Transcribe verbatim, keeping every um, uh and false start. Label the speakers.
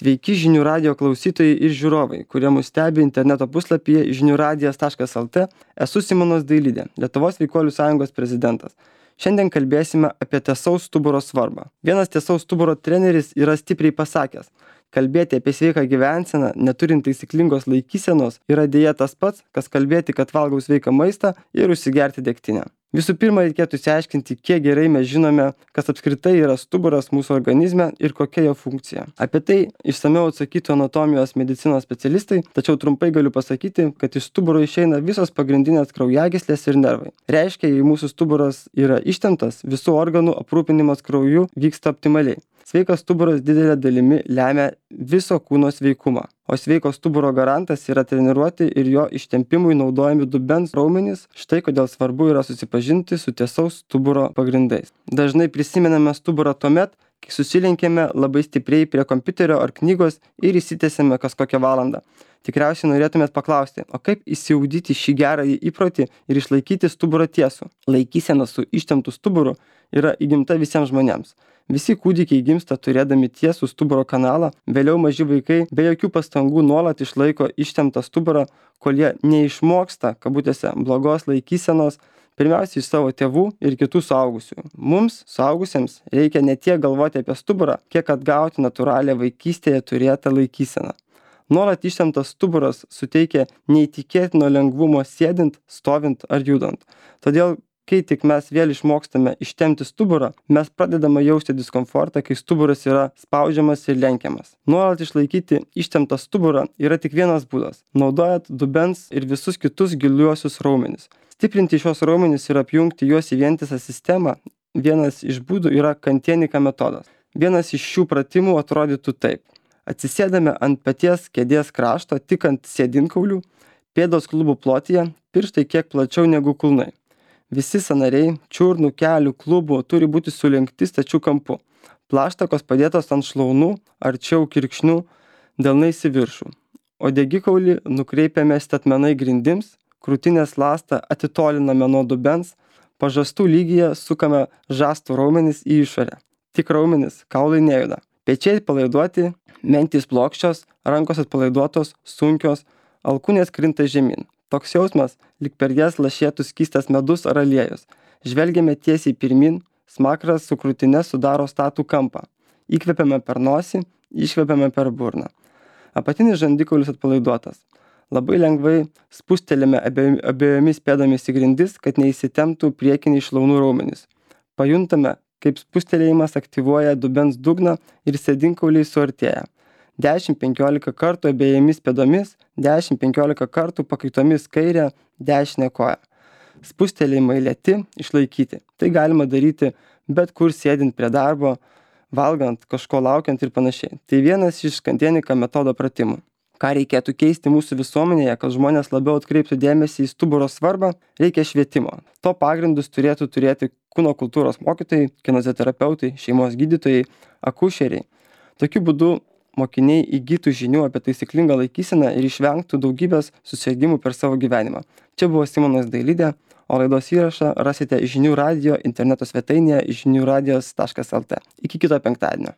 Speaker 1: Sveiki žinių radijo klausytojai ir žiūrovai, kurie mus stebi interneto puslapyje žinių radijas taškas lt. Esu Simonas Dailidė, Lietuvos Sveikuolių sąjungos prezidentas. Šiandien kalbėsime apie tiesaus stuburo svarbą. Vienas tiesaus stuburo treneris yra stipriai pasakęs: kalbėti apie sveiką gyvenseną, neturint taisyklingos laikysenos, yra dėja tas pats, kas kalbėti, kad valgau sveiką maistą ir užsigerti degtinę. Visų pirma, reikėtų išsiaiškinti, kiek gerai mes žinome, kas apskritai yra stuburas mūsų organizme ir kokia jo funkcija. Apie tai išsamiau atsakytų anatomijos medicinos specialistai, tačiau trumpai galiu pasakyti, kad iš stuburo išeina visos pagrindinės kraujagyslės ir nervai. Reiškia, jei mūsų stuburas yra ištemptas, visų organų aprūpinimas krauju vyksta optimaliai. Sveikas stuburas didelė dalimi lemia viso kūno sveikumą, o sveiko stuburo garantas yra treniruoti ir jo ištempimui naudojami dubens raumenys. Štai kodėl svarbu yra susipažinti su tiesaus stuburo pagrindais. Dažnai prisimename stuburą tuomet, kai susilenkėme labai stipriai prie kompiuterio ar knygos ir įsitęsėme kas kokią valandą. Tikriausiai norėtumėt paklausti, o kaip įsiugdyti šį gerąjį įprotį ir išlaikyti stuburą tiesų? Laikysena su ištemptu stuburu yra įgimta visiems žmonėms. Visi kūdikiai gimsta turėdami tiesų stuburo kanalą, vėliau maži vaikai be jokių pastangų nuolat išlaiko ištemptą stuburą, kol jie neišmoksta, kabutėse, blogos laikysenos, pirmiausia iš savo tėvų ir kitų suaugusių. Mums, suaugusiems, reikia ne tiek galvoti apie stuburą, kiek atgauti natūralią vaikystėje turėtą laikyseną. Nuolat ištemptas stuburas suteikia neįtikėtino lengvumo sėdint, stovint ar judant. Todėl kai tik mes vėl išmokstame ištempti stuburą, mes pradedame jausti diskomfortą, kai stuburas yra spaudžiamas ir lenkiamas. Nuolat išlaikyti ištemptą stuburą yra tik vienas būdas – naudojant dubens ir visus kitus giliuosius raumenis. Stiprinti šios raumenis ir apjungti juos į vientisą sistemą vienas iš būdų yra kantienika metodas. Vienas iš šių pratimų atrodytų taip. Atsisėdame ant peties kėdės krašto, tik ant sėdinkaulių, pėdos klubų plotyje, pirštai kiek plačiau negu kulnai. Visi sąnariai, čiurnų, kelių, klubų turi būti sulenkti stačiu kampu. Plaštakos padėtos ant šlaunų, arčiau kirkšnių, delnais į viršų. O degikaulį nukreipiame statmenai grindims, krūtinės ląstą atitoliname nuo dubens, pažastų lygyje sukame žastų raumenis į išorę. Tik raumenis, kaulai nejuda. Pečiai palaiduoti, mentys plokščios, rankos atpalaiduotos, sunkios, alkūnės krinta žemyn. Toks jausmas, lyg per jas lašėtų skystas medus ar aliejus. Žvelgiame tiesiai pirmin, smakras su krūtine sudaro statų kampą. Įkvepiame per nosį, iškvepiame per burną. Apatinis žandikaulis atpalaiduotas. Labai lengvai spustelėme abiejomis pėdomis į grindis, kad neįsitemptų priekiniai šlaunų raumenys. Pajuntame, kaip spustelėjimas aktyvuoja dubens dugną ir sėdinkauliai suartėja. dešimt penkiolika kartų abiejomis pėdomis, dešimt penkiolika kartų pakaitomis kairę, dešinę koją. Spustelėjimai lėti, išlaikyti. Tai galima daryti bet kur sėdint prie darbo, valgant, kažko laukiant ir panašiai. Tai vienas iš kantienika metodo pratimų. Ką reikėtų keisti mūsų visuomenėje, kad žmonės labiau atkreiptų dėmesį į stuburo svarbą, reikia švietimo. To pagrindus turėtų turėti kūno kultūros mokytojai, kineziterapeutai, šeimos gydytojai, akušeriai. Tokiu būdu mokiniai įgytų žinių apie taisyklingą laikyseną ir išvengtų daugybės susirgimų per savo gyvenimą. Čia buvo Simonas Dailidė, o laidos įrašą rasite žinių radijo interneto svetainėje žinių radijas taškas lt. Iki kito penktadienio.